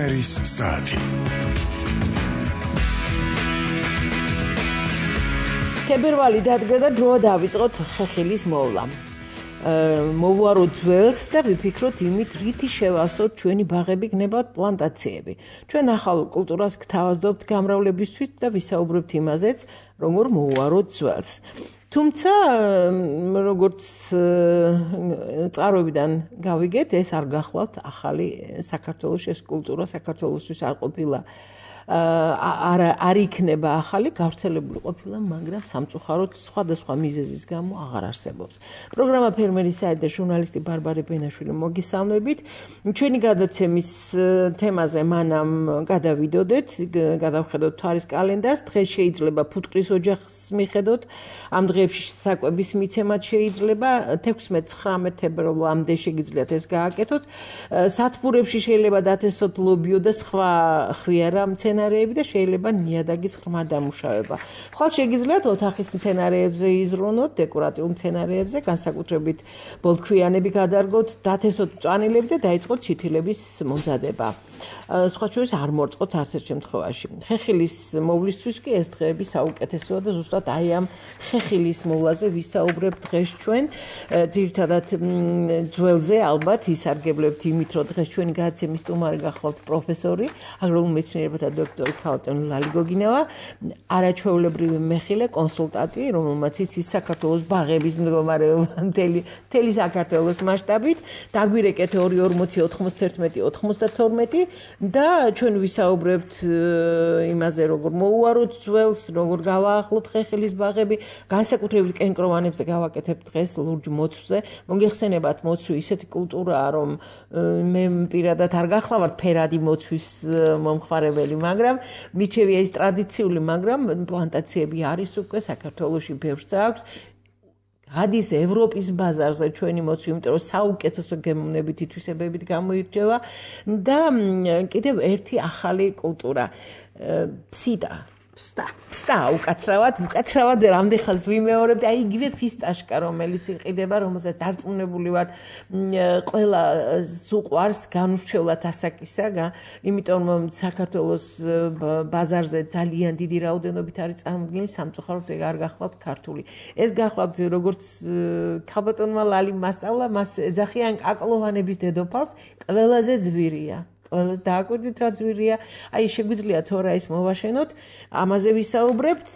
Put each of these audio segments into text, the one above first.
ფერმერის საათი. თებერვალი დადგა და დროა დავიწყოთ ხეხილის მოვლა. მოვუაროთ ძველს და ვიფიქროთ იმით, რითი შევავსოთ ჩვენი ბაღები გნებავთ პლანტაციები. ჩვენ ახალ კულტურას გთავაზობთ გამრავლებისთვის და ვისაუბრებთ იმაზეც, როგორ მოვუაროთ ძველს. თუმცა, როგორც წყაროებიდან გავიგეთ, ეს არ გახლავთ ახალი საქართველოს ეს კულტურა საქართველოსთვის არ ყოფილა არ იქნება ახალი, გავრცელებული ყოფილა, მაგრამ სამწუხაროდ სხვადასხვა მიზეზის გამო აღარ არსებობს. პროგრამა ფერმერის საათი და ჟურნალისტი ბარბარე ბენაშვილი მოგესალმებით. ჩვენი გადაცემის თემაზე მანამ გადავიდოდეთ, გადავხედოთ თვარის კალენდარს. დღეს შეიძლება ფუტკრის ოჯახს მიხედოთ, ამ დღეებში საკვების მიცემაც შეიძლება, 16-19 თებერვალამდე შეგიძლიათ ეს გააკეთოთ. სათბურებში შეიძლება დათესოთ ლობიო და სხვა ხვიარა მცენარეები და შეიძლება ნიადაგის ღრმა დამუშავება. ხვალ შეგიძლიათ ოთახის მცენარეებზე იზრუნოთ, დეკორატიულ მცენარეებზე, განსაკუთრებით ბოლქვიანები გადარგოთ, დათესოთ მწვანილები და დაიწყოთ ჩითილების მომზადება. სხვა შორის არ მორწყოთ არც ერთ შემთხვევაში. ხეხილის მოვლისთვის კი ეს დღეები საუკეთესოა და ზუსტად აი ამ ხეხილის მოვლაზე ვისაუბრებთ დღეს ჩვენ. ძირითადად ძველზე ალბათ ისარგებლებთ იმით, რომ დღეს ჩვენი გადაცემის სტუმარი გახლავთ პროფესორი, აგრარულ მეცნიერებათა დოქტორი ქალბატონი ლალი გოგინავა, არაჩვეულებრივი მეხილე, კონსულტანტი, რომელმაც იცის საქართველოს ბაღების მდგომარეობა მთელი საქართველოს მასშტაბით. დაგვირეკეთ 240 91 92 და ჩვენ ვისაუბრებთ იმაზე, როგორ მოვუაროთ ძველს, როგორ გავაახლოთ ხეხილის ბაღები, განსაკუთრებით კენკროვანებზე გავაკეთებთ დღეს ლურჯ მოცვზე. მოგეხსენებათ, მოცვი ისეთი კულტურაა, რომ მე პირადად არ გახლავართ ფერადი მოცვის მომხმარებელი, მაგრამ მიჩევია ის ტრადიციული, მაგრამ პლანტაციები არის უკვე საქართველოში ბევრს აქვს. გადის ევროპის ბაზარზე ჩვენი მოცვი, იმიტომ რომ საუკეთესო გემოვნებით ითვისებებით გამოირჩევა და კიდევ ერთი ახალი კულტურა ფსტა უკაცრავად რამდენხანს ვიმეორებთ, აი იგივე ფისტაშკა, რომელიც იყიდება, რომელსაც დარწმუნებული ვარ, ყველა უყვარს განურჩევლად ასაკისა, იმიტომ რომ საქართველოს ბაზარზე ძალიან დიდი რაოდენობით არის წარმოდგენილი, სამწუხაროდ არ გახლავთ ქართული. ეს გახლავთ როგორც ქალბატონმა ლალი მასწავლა, მას ეძახიან კაკლოვანების დედოფალს, ყველაზე ძვირია. ყველას დააკვირდით რა ძვირია, აი შეგვიძლია თორა ეს მოვაშენოთ, ამაზე ვისაუბრებთ.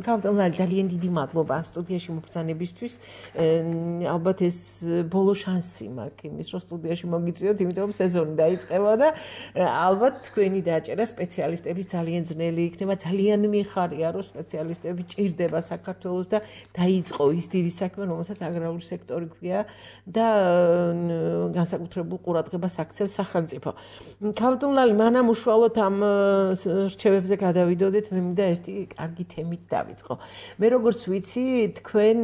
ქალბატონ ლალი, ძალიან დიდი მადლობა სტუდიაში მობრძანებისთვის. ალბათ ეს ბოლო შანსი მაქვს იმის, რომ სტუდიაში მოგიწვიოთ, იმიტომ რომ სეზონი დაიწყება და ალბათ თქვენი დაჭერა სპეციალისტების ძალიან ძნელი იქნება. ძალიან მიხარია, რომ სპეციალისტები ჭირდება საქართველოს და დაიწყო ის დიდი საქმე, რომელსაც აგრარული სექტორი ქვია და განსაკუთრებულ ყურადღებას აქცევს ქალბატონ ლალი, მანამ უშუალოდ ამ რჩევებზე გადავიდოდეთ, მე მინდა ერთი კარგი თემით დავიწყო. მე როგორც ვიცი, თქვენ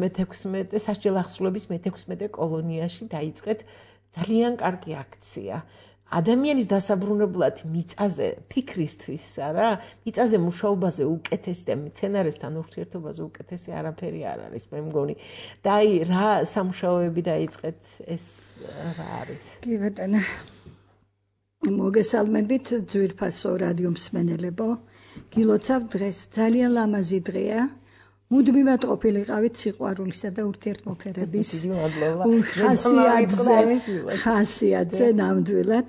მე-16 სასჯელახსრულების მე-16 კოლონიაში დაიწყეთ ძალიან კარგი აქცია. ადამიანის დასაბრუნებლად მიწაზე ფიქრისთვის არა, მიწაზე მუშაობაზე უკეთესი და მცენარესთან ურთიერთობაზე უკეთესი არაფერი არ არის, მე მგონი. და აი რა სამუშაოები დაიწყეთ, ეს რა არის? კი ბატონო. მოგესალმებით ძვირფასო რადიო მსმენელებო. გილოცავ დღეს ძალიან ლამაზი დღეა. მუდმივად ყოფილიყავით სიყვარულისა და ურთიერთმოქმედების ხასიათზე ნამდვილად,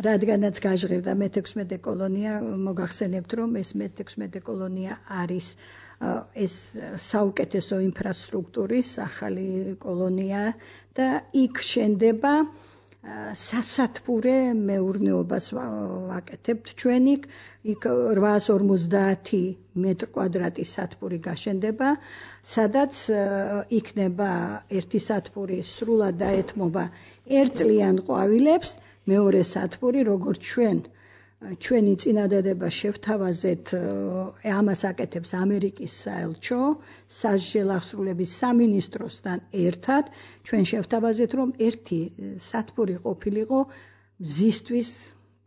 რადგანაც გაჟღერდა მე-16 კოლონია, მოგახსენებთ, რომ ეს მე-16 კოლონია არის ეს საუკეთესო ინფრასტრუქტურის ახალი კოლონია და იქ შენდება სასათბურე მეურნეობას ვაკეთებთ ჩვენ იქ 850 მეტრ-კვადრატი სათბური გაშენდება, სადაც იქნება ერთი სათბური სრულად დაეთმობა ერთწლიან ყვავილებს, მეორე სათბური როგორც ჩვენი წინადადება შევთავაზეთ, ამას აკეთებს ამერიკის საელჩო, სასჯელახსრულების სამინისტროსთან ერთად, ჩვენ შევთავაზეთ, რომ ერთი სათბური ყოფილიყო მზისთვის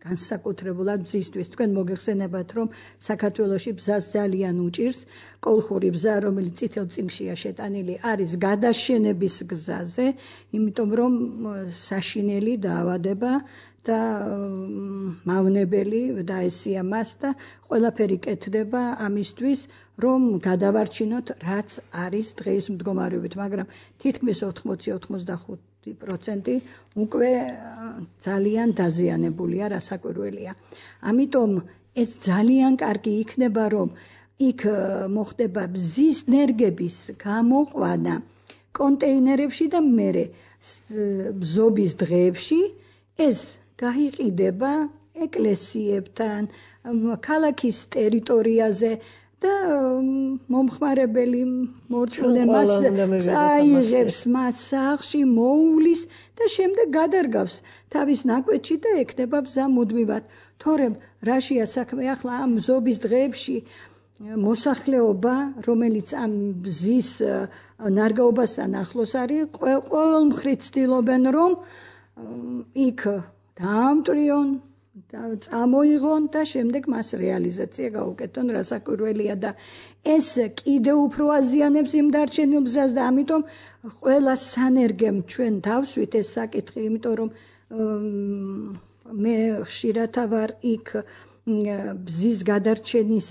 განსაკუთრებულად ბზისთვის. თქვენ მოგეხსენებათ, რომ საქართველოში ბზას ძალიან უჭირს. კოლხური ბზა, რომელიც წითელ წიგნშია შეტანილი, არის გადაშენების გზაზე, იმიტომ რომ საშინელი დაავადება და მავნებელი დაესია მას და ყველაფერი კეთდება ამისთვის, რომ გადავარჩინოთ, რაც არის დღეს მდგომარეობით, მაგრამ თითქმის 80-85% უკვე ძალიან დაზიანებულია, რასაკვირველია. ამიტომ ეს ძალიან კარგი იქნება, რომ იქ მოხდება ბზის ნერგების გამოყვანა კონტეინერებში და მერე ბზობის დღეებში ეს გაიყიდება ეკლესიებთან, ქალაქის ტერიტორიაზე და მომხმარებელი მორწმუნე მას წაიღებს მას სახლში, მოუვლის და შემდეგ გადარგავს თავის ნაკვეთში და ექნება ბზა მუდმივად. თორემ რაშია საქმე ახლა ამ ბზობის დღეებში მოსახლეობა, რომელიც ამ ბზის ნარგაობასთან ახლოს არის, ყოველ მხრივ ცდილობენ, რომ იქ დაამტვრიონ, წამოიღონ და შემდეგ მას რეალიზაცია გაუკეთონ, რასაკვირველია და ეს კიდევ უფრო აზიანებს იმ დარჩენილ ბზას და ამიტომ ყველა სანერგემ ჩვენ დავსვით ეს საკითხი, იმიტომ რომ მე ხშირად ვარ იქ ბზის გადარჩენის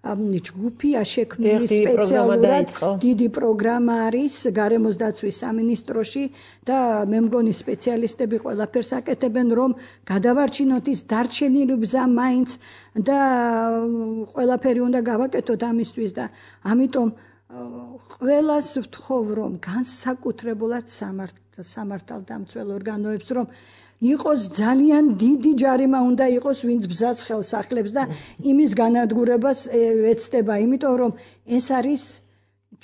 ჯგუფია შექმნილი სპეციალურად დიდი პროგრამა არის გარემოს დაცვის სამინისტროში და მე მგონი სპეციალისტები ყველაფერს აკეთებენ რომ გადავარჩინოთ ის დარჩენილი ბზა მაინც და ყველაფერი უნდა გავაკეთოთ ამისთვის და ამიტომ ყველას ვთხოვ რომ განსაკუთრებულად სამართალდამცველ ორგანოებს რომ იყოს ძალიან დიდი ჯარიმა უნდა იყოს ვინც ბზას ხელს ახლებს და იმის განადგურებას ეცდება, იმიტომ რომ ეს არის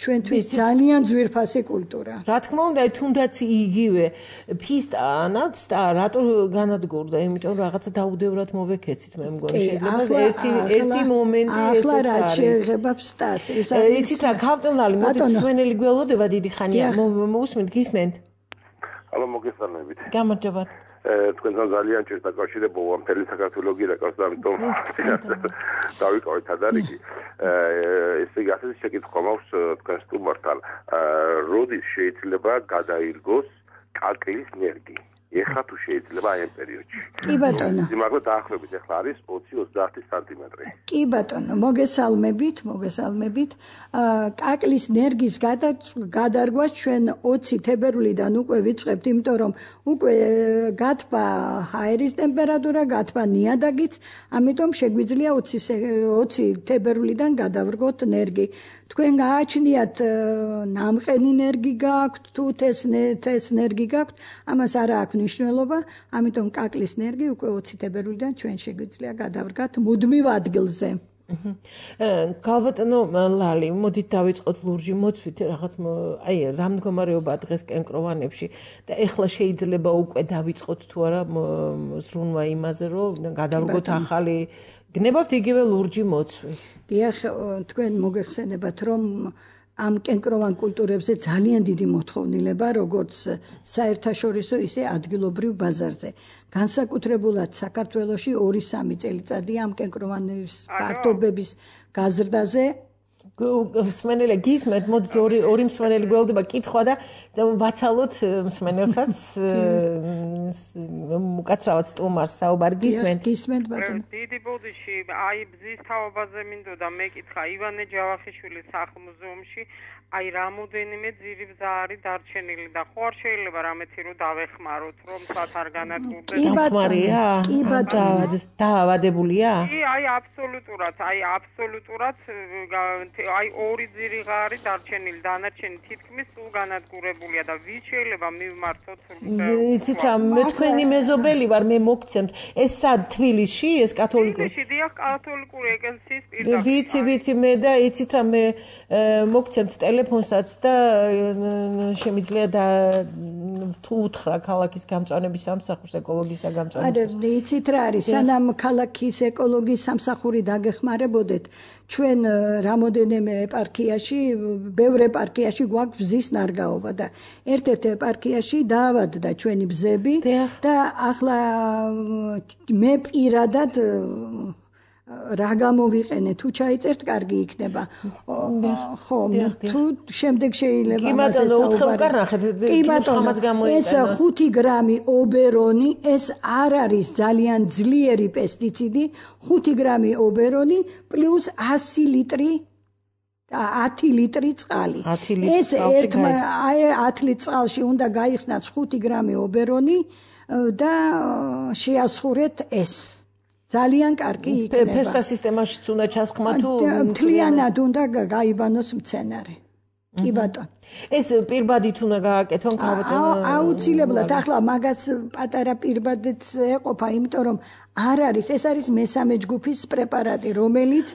ჩვენთვის ძალიან ძვირფასი კულტურა. რა თქმა უნდა, თუნდაც იგივე ფისტანებს და რატო განადგურდა, იმიტომ რომ რაღაცა დაუდევრად მოვეკეცით, მე მგონი შეიძლება ერთი მომენტი ესეც არის. ახლა რა შეიძლება ფსტას, ეს არის. იცით რა, ქავტონალი, მოდით სვენელი გველოდება დიდი ხანია. მოусმენთ, გისმენთ? ალო, მოგესალმებით. გამარჯობა. თქვენთან ძალიან ჭირს დაკავშირებულობა მთელი საქართველოს გირეკავს და ამიტომ დავიკავეთ ადარიგი. ესე იგი ასეთი შეკითხვა მაქვს თქვენ სტუმართან. როდის შეიძლება გადაირგოს კაკლის ნერგი? ეხლა თუ შეიძლება აი ამ პერიოდში. კი ბატონო. სიმაღლე დაახლოებით ეხლა არის 20-30 სანტიმეტრი. კი ბატონო, მოგესალმებით. კაკლის ნერგის გადარგვას ჩვენ 20 თებერვლიდან უკვე ვიწყებთ, იმიტომ რომ უკვე გათბა ჰაერის ტემპერატურა, გათბა ნიადაგიც, ამიტომ შეგვიძლია 20 თებერვლიდან გადავრგოთ ნერგი. თქვენ გააჩნიათ ნამყენი ნერგი გაქვთ, თუ თეს ნერგი გაქვთ, ამას არა აქვს მნიშვნელობა, ამიტომ კაკლის ნერგი უკვე 20 თებერვლიდან ჩვენ შეგვიძლია გადავრგათ მუდმივ ადგილზე. გალბატონო ლალი, მოდით დავიწყოთ ლურჯი მოწვით რაღაც აი რა მდგომარეობაა დღეს კენკროვანებში და ეხლა შეიძლება უკვე დავიწყოთ თუ არა ზრუნვა იმაზე, რომ გადავრგოთ ახალი გნებავთ იგივე ლურჯი მოწვი. დიახ, თქვენ მოგეხსენებათ, რომ ამ კენკროვან კულტურებზე ძალიან დიდი მოთხოვნილება, როგორც საერთაშორისო, ისე ადგილობრივ ბაზარზე. განსაკუთრებულად საქართველოში 2-3 წელიწადია ამ კენკროვანის ფართობების გაზრდაზე. მსმენელი გისმენთ, მოდით ორი მსმენელი გველდება კითხვა და ვაცალოთ მსმენელსაც უკაცრავად სტუმარს საუბარი გისმენთ. გისმენთ ბატონო. დიდი ბოდიში აი ბზის თაობაზე მინდოდა მეკითხა ივანე ჯავახიშვილის სახლ-მუზეუმში აი რამოდენიმე ძირი ბზა არის დარჩენილი და ხო არ შეიძლება რამეთი რომ დავეხმაროთ რომ სათ არ განადგურდეს. კი ბატონო. დაავადებულია? კი, აი აბსოლუტურად აი ორი ძირი არის დარჩენილი, დანარჩენი თითქმის სულ განადგურებულია და ვის შეიძლება მივმართოთ იცით რა, მე თქვენი მეზობელი ვარ, მე მოგცემთ. ეს სად თბილისში, ეს კათოლიკური? თბილისში, დიახ, კათოლიკური ეკლესიის პირდაპირ. ვიცი მე და იცით რა, მე მოგცემთ ტელეფონსაც და შემიძლია თუ უთხრა ქალაქის გამწვანების სამსახურს, ეკოლოგიის და გამწვანების. არა, იცით რა არის, სანამ ქალაქის ეკოლოგიის სამსახური დაგეხმარებოდეთ, ჩვენ რამოდენიმე ეპარქიაში, ბევრ ეპარქიაში გვაქვს ბზის ნარგაობა და ერთ-ერთ ეპარქიაში დაავადდა ჩვენი ბზები და ახლა მე პირადად რა გამოვიყენე თუ ჩაიწერთ კარგი იქნება ხო თუ შემდეგ შეიძლება კი ბატონო უთხრა ნახეთ ეს 5 გრამი ობერონი ეს არ არის ძალიან ძლიერი პესტიციდი 5 გრამი ობერონი პლუს 100 ლიტრი 10 ლიტრი წყალი ეს 10 ლიტრი წყალში უნდა გაიხსნათ 5 გრამი ობერონი და შეასხურეთ ეს ძალიან კარგი იქნება. ფერსა სისტემაშიც უნდა ჩასხმა თუ მთლიანად უნდა გაიბანოს მცენარე. კი ბატონო. ეს პირბადით უნდა გააკეთონ ქალბატონო. აუცილებლად ახლა მაგას პატარა პირბადიც ეყოფა, იმიტომ რომ არ არის, ეს არის მესამე ჯგუფის პრეპარატი, რომელიც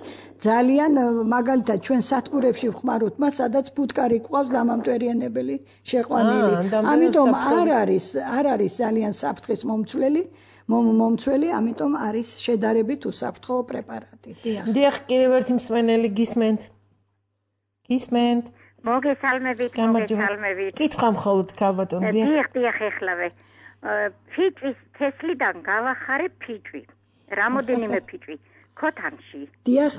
ძალიან მაგალითად ჩვენ სადგურებში ვხმარობთ მას, სადაც ფუტკარი ყავს დამამტვერიანებელი შეყვანილი. ამიტომ არ არის ძალიან საფრთხის მომცველი, ამიტომ არის შედარებით უსაფრთხო პრეპარატი. დიახ, კიდევ ერთი მსმენელი გისმენთ. მოგესალმებით. კითხვა მხოლოდ ქალბატონო. დიახ, ეხლავე. ფიჭვის თესლიდან გავახარე ფიჭვი. რამოდენიმე ფიჭვი ქოთანში. დიახ.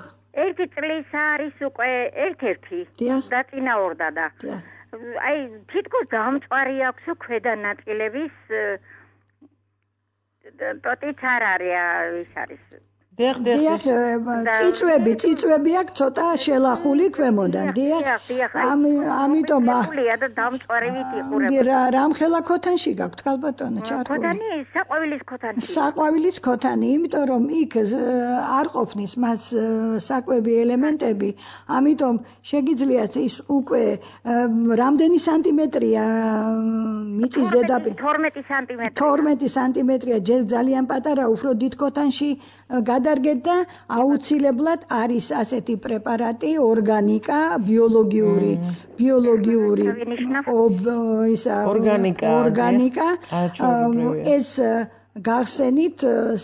ერთი წლის არის უკვე ერთ-ერთი და წინაორდა და. აი, თითქოს დამწვარი აქვს ქვედა ნაწილების ტოტიც არ არის, ის არის. დიახ, წიწვები აქვს ცოტა შელახული ქვემოდან. დიახ. ამიტომ და დამწვარივით იყურება. რამხელა ქოთანში გაქვთ ქალბატონო ჩართული? ქოთანი, საყვავილის ქოთანი. საყვავილის ქოთანი, იმიტომ რომ იქ არ ყოფნის მას საკვები ელემენტები, ამიტომ შეგიძლიათ ის უკვე რამდენი სანტიმეტრია მიწის ზედაპირი? 12 სანტიმეტრი. 12 სანტიმეტრია, ძალიან პატარა, უფრო დიდ ქოთანში გადარგეთ და აუცილებლად არის ასეთი პრეპარატი ორგანიკა ბიოლოგიური ორგანიკა ეს გახსენით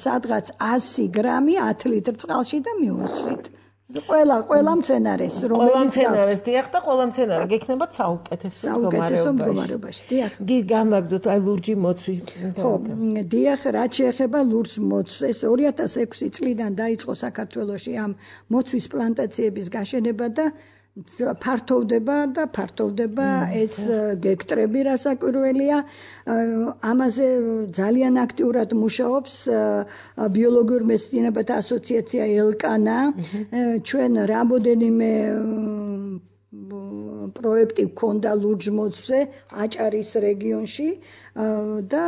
სადღაც 100 გრამი 10 ლიტრ წყალში და მიუსვით ყველა მცენარეს რომელიც დიახ და ყველა მცენარე გექნება საუკეთესო მდგომარეობაში დიახ გამაგდოთ აი ლურჯი მოცვი ხო დიახ რაც შეეხება ლურჯ მოცვს ეს 2006 წლიდან დაიწყო საქართველოში ამ მოცვის პლანტაციების გაშენება და ფართოვდება ეს გექტრები რასაკვირველია ამაზე ძალიან აქტიურად მუშაობს ბიოლოგიურ მეცნიერებათა ასოციაცია ელკანა ჩვენ რამოდენიმე პროექტი გქონდა ლურჯ მოცვზე აჭარის რეგიონში და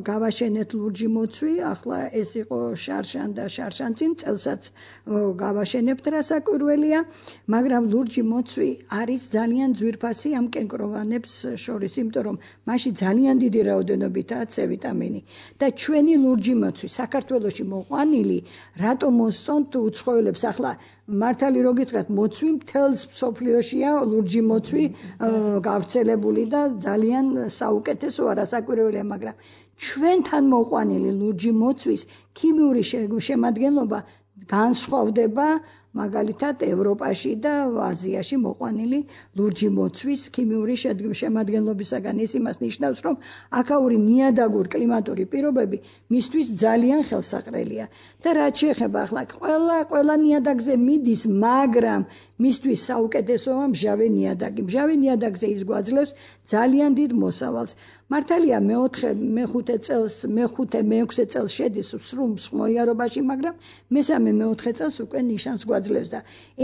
გავაშენეთ ლურჯი მოცვი ახლა ეს იყო შარშან და შარშანწინ წელსაც გავაშენებთ რასაკვირველია მაგრამ ლურჯი მოცვი არის ძალიან ძვირფასი ამ კენკროვანებს შორის იმიტომ რომ მასში ძალიან დიდი რაოდენობითაა C ვიტამინი და ჩვენი ლურჯი მოცვი საქართველოში მოყვანილი რატომ მოსწონთ უცხოელებს ახლა მართალი რო გითხრათ მოცვი მთელს მსოფლიოშია ლურჯი მოცვი გავრცელებული და ძალიან საუკეთესოა რასაკვირველია მაგრამ ჩვენთან მოყვანილი ლურჯი მოცვის ქიმიური შემადგენლობა განსხვავდება მაგალითად ევროპაში და აზიაში მოყვანილი ლურჯი მოცვის ქიმიური შემადგენლობისაგან ის იმას ნიშნავს რომ აქაური ნიადაგურ კლიმატური პირობები მისთვის ძალიან ხელსაყრელია და რაც შეეხება ახლა ყველა ნიადაგზე მიდის მაგრამ მისთვის საუკეთესოა მჟავე ნიადაგზე ის გვაძლევს ძალიან დიდ მოსავალს მართალია მე-5 წელს მე-6 წელს შედის სრულ მოიარობაში მაგრამ მე-3 წელს უკვე ნიშანს გვაძლევს და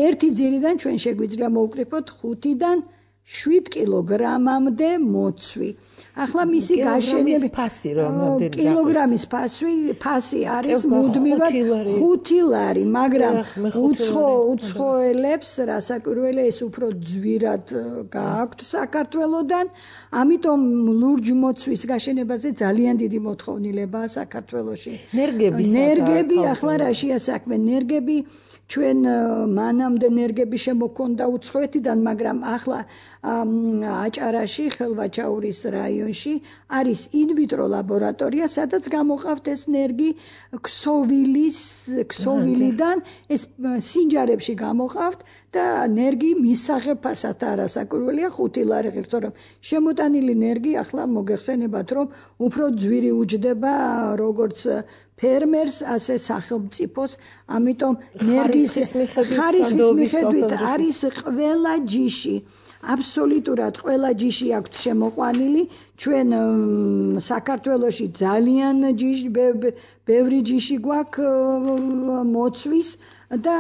ერთი ძირიდან ჩვენ შეგვიძლია მოვკრიფოთ 5-დან 7 კილოგრამამდე მოცვი. ახლა მისი გაშენების ფასი რამდენი კილოგრამის ფასი არის მუდმივად 5 ლარი, მაგრამ უცხოელებს რასაკვირველია ეს უფრო ძვირად გააქვთ საქართველოდან, ამიტომ ლურჯ მოცვის გაშენებაზე ძალიან დიდი მოთხოვნილებაა საქართველოში. ნერგები ახლა რაშია საქმე? ნერგები ჩვენ მანამდე ნერგები შემოქონდა უცხოეთიდან, მაგრამ ახლა აჭარაში, ხელვაჩაურის რაიონში არის ინვიტრო ლაბორატორია, სადაც გამოყავთ ეს ნერგი ქსოვილიდან, ეს სინჯარებში გამოყავთ და ნერგი მისაღებასად არასაკურველია 5 ლარი ღირს, თორემ შემოტანილი ნერგი ახლა მოგეხსენებათ, რომ უფრო ძვირი უჯდება როგორც ფერმერს, ასე სახელმწიფოს, ამიტომ ნერგის ხარისხის მიხედვით არის ყველა ჯიში, აბსოლუტურად ყველა ჯიში აქვთ შემოყვანილი, ჩვენ საქართველოში ძალიან ბევრი ჯიში გვაქვს მოცვის და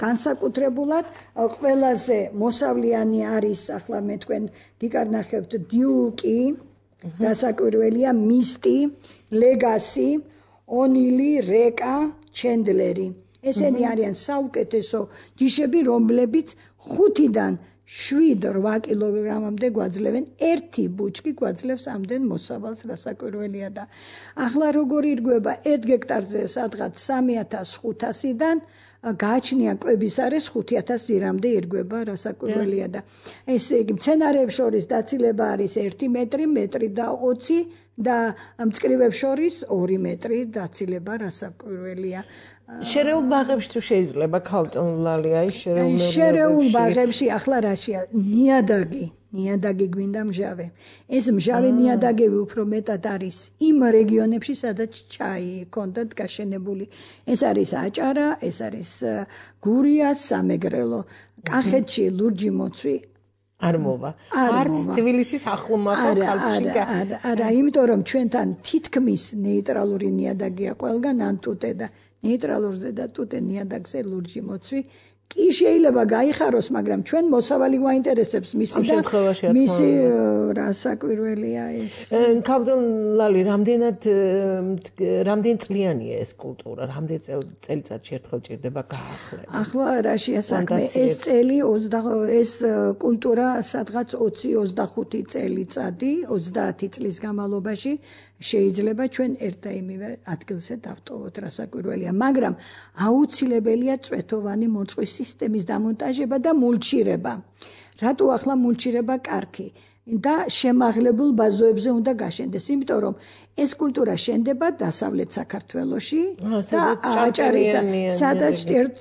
განსაკუთრებულად ყველაზე მოსავლიანი არის, ახლა მე თქვენ გიკარნახებთ დიუკი, დასაკვირველია მისტი, ლეგასი, ონილი, რეკა, ჩენდლერი. ესენი არიან საუკეთესო ჯიშები, რომლებიც 5-დან 7-8 კილოგრამამდე გვაძლევენ, ერთი ბუჩკი გვაძლევს ამდენ მოსავალს, რასაკვირველია და ახლა როგორ ირგვება 1 ჰექტარზე სადღაც 3500-დან გააჩნია კვების არის 5000 ზირამდე ირგვება, რასაკვირველია და ესე იგი მცენარეებს შორის დაცილება არის 1 მეტრი, მეტრი და 20 და მწკრივებს შორის 2 მეტრი დაცილება, რასაკვირველია. შერეულ ბაღებში თუ შეიძლება ქალტონლალი აი შერეულ ბაღებში ახლა რაშია ნიადაგი გვინდა მჟავე. ეს მჟავე ნიადაგები უფრო მეტად არის იმ რეგიონებში, სადაც ჩაი ჰქონდათ გაშენებული. ეს არის აჭარა, ეს არის გურია, სამეგრელო. კახეთში ლურჯი მოცვი არ მოვა. არც თბილისის ახლომახალ ხალხში. არა, იმიტომ რომ ჩვენთან თითქმის ნეიტრალური ნიადაგია ყველგან, ან ტუტე და ნეიტრალურზე და ტუტე ნიადაგზე ლურჯი მოცვი კი შეიძლება გაიხაროს, მაგრამ ჩვენ მოსავალი გვაინტერესებს მისი და მისი რასაკვირველია ეს. ქალტონლალი, რამდენი წლიანია ეს კულტურა? რამდენი წელიწადში ერთხელ ჭირდება გაახლება? ახლა რაშია საქმე? ეს კულტურა სადღაც 20-25 წელიწადი, 30 წლის განმავლობაში შეიძლება ჩვენ ერთ და იმივე ადგილზე დავტოვოთ, რასაკვირველია, მაგრამ აუცილებელია წვეთოვანი მოწყვის სისტემის დამონტაჟება და მულჩირება. რატო ახლა მულჩირება კარგი და შემაღლებულ ბაზოებზე უნდა გაშენდეს, იმიტომ რომ ეს კულტურა შენდება დასავლეთ საქართველოში და აჭარის და სადაც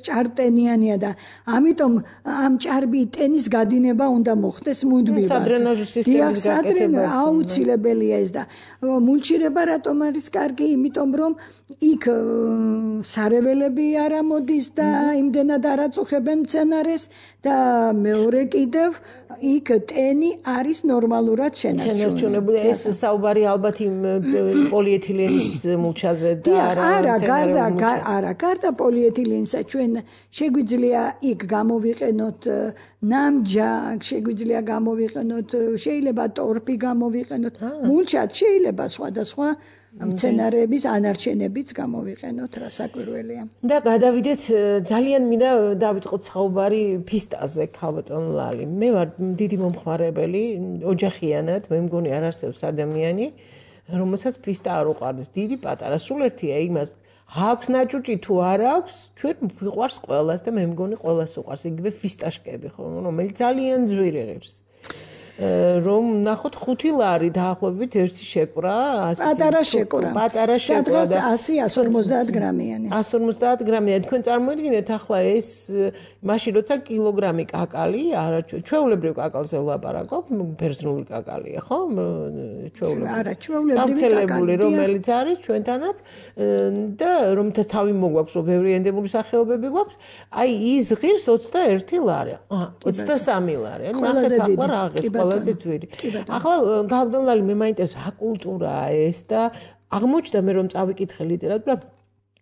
ჭარტენიანია და ამიტომ ამ ჭარბი ტენის გადინება უნდა მოხდეს მუდმივად. სადრენაჟო სისტემის გაკეთება აუცილებელია ეს და მულჩირება რატომ არის კარგი? იმიტომ რომ იქ სარეველები არ ამოდის და იმდენად არ აწუხებენ მცენარეს და მეორე კიდევ იქ ტენი არის ნორმალურად შენარჩუნებული. ეს საუბარი ალბათ იმ პოლიეთილენის მულჩაზე და არა, გარდა პოლიეთილენისა ჩვენ შეგვიძლია იქ გამოვიყენოთ ნამჯაგ, შეგვიძლია გამოვიყენოთ, შეიძლება ტორფი გამოვიყენოთ, მულჩად შეიძლება სხვადასხვა მცენარეების ანარჩენებიც გამოვიყენოთ, რასაკვირველია. და გადავიდეთ, ძალიან მინდა დავიწყოთ საუბარი ფისტაზე, ქალბატონლალი. მე ვარ დიდი მომხმარებელი, ოჯახიანად, მე მგონი არ არსებობს ადამიანი, რომელსაც ფისტა არ უყვარდეს, დიდი პატარა, სულ ერთია იმას, აქვს ნაჭუჭი თუ არ აქვს, ჩვენ ვიყვარს ყველას და მე მგონი ყველას უყვარს, იგივე ფისტაშკები, რომელიც ძალიან ძვირი ღირს. რომ ნახოთ 5 ლარი დაახლოებით ერთი შეკვრა, პატარა შეკვრა. პატარა შეკვრა და 100-150 გრამიანი. 150 გრამიანი. თქვენ წარმოიდგინეთ ახლა ეს მაშინ როცა კილოგრამი კაკალი, არა ჩვეულებრივ კაკალზე ვლაპარაკობ, ბერძნული კაკალია, ხო? ჩვეულებრივი რომელიც არის ჩვენთანაც და რომელთა თავი მოგვაქვს, რომ ბევრი ენდემური სახეობები გვაქვს, აი ის ღირს 21 ლარი. 23 ლარი. ნახეთ ახლა რა ღირს ყველაზე ძვირი. ახლა ქალბატონლალი, მე მაინტერესებს რა კულტურაა ეს და აღმოჩნდა მე რომ წავიკითხე ლიტერატურა,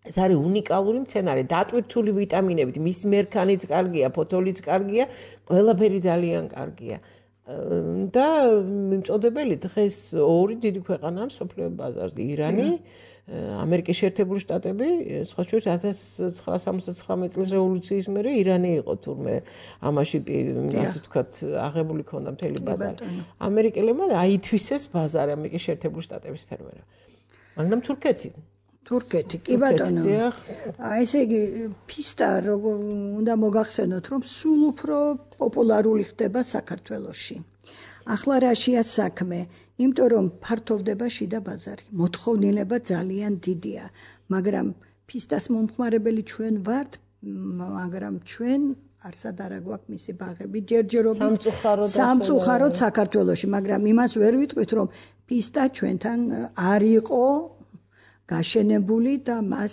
ეს არის უნიკალური მცენარე, დატვირთული ვიტამინებით, მისი მერქანიც კარგია, ფოთოლიც კარგია, ყველაფერი ძალიან კარგია. და მიმწოდებელი დღეს ორი დიდი ქვეყანაა მსოფლიო ბაზარზე, ირანი, ამერიკის შეერთებული შტატები, სხვა შორის 1979 წლის რევოლუციის მერე ირანი იყო თურმე ამაში ასე ვთქვათ აღებული ქონდა მთელი ბაზარი. ამერიკელებმა აითვისეს ბაზარი ამერიკის შეერთებული შტატების ფერმერებმა. მაგრამ თურქეთი თურქეთი, კი ბატონო. ესე იგი, ფისტა უნდა მოგახსენოთ, რომ სულ უფრო პოპულარული ხდება საქართველოში. ახლა რაშია საქმე? იმიტომ რომ ფართოვდება შიდა ბაზარი. მოთხოვნილება ძალიან დიდია, მაგრამ ფისტას მომხმარებელი ჩვენ ვართ, მაგრამ ჩვენ არსად არა გვაქვს მისი ბაღები, ჯერჯერობით სამწუხაროდ საქართველოში, მაგრამ იმას ვერ ვიტყვით, რომ ფისტა ჩვენთან არ იყო გაშენებული და მას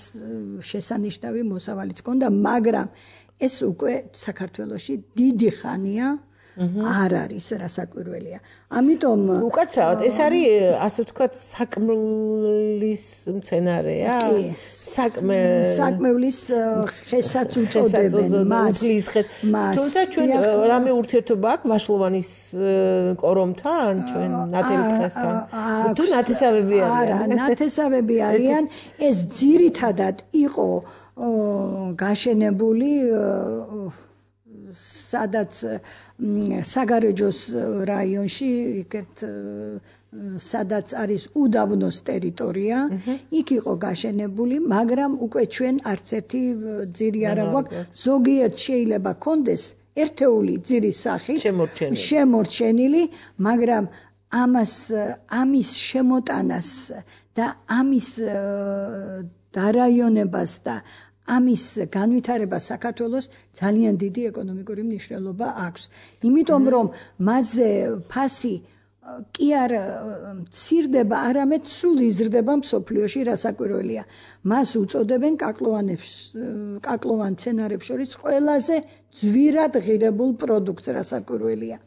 შესანიშნავი მოსავალიც ჰქონდა, მაგრამ ეს უკვე საქართველოში დიდი ხანია არ არის რასაკვირველია. ამიტომ უკაცრავად ეს არის ასე ვთქვათ საკმლის მცენარეა? საკმევლის ხესაც უწოდებენ მას. თუმცა ჩვენ რამე ურთიერთობა აქვს ვაშლოვანის კორომთან, ჩვენ ნათელი დღესთან? თუ ნათესავები არიან? არა, ნათესავები არიან. ეს ძირითადად იყო გაშენებული სადაც საგარეჯოს რაიონში, იქეთ სადაც არის უდაბნოს ტერიტორია, იქ იყო გაშენებული, მაგრამ უკვე ჩვენ არც ერთი ძირი არ აქვს. ზოგიერთ შეიძლება კონდეს ერთეული ძირის სახით შემორჩენილი, მაგრამ ამის შემოტანას და ამის დარაიონებას და ამის განვითარებას საქართველოს ძალიან დიდი ეკონომიკური მნიშვნელობა აქვს. იმიტომ რომ მასზე ფასი კი არ მცირდება, არამედ სულ იზრდება მსოფლიოში, რასაკვირველია. მას უწოდებენ კაკლოვან მცენარებს შორის ყველაზე ძვირად ღირებულ პროდუქტს, რასაკვირველია.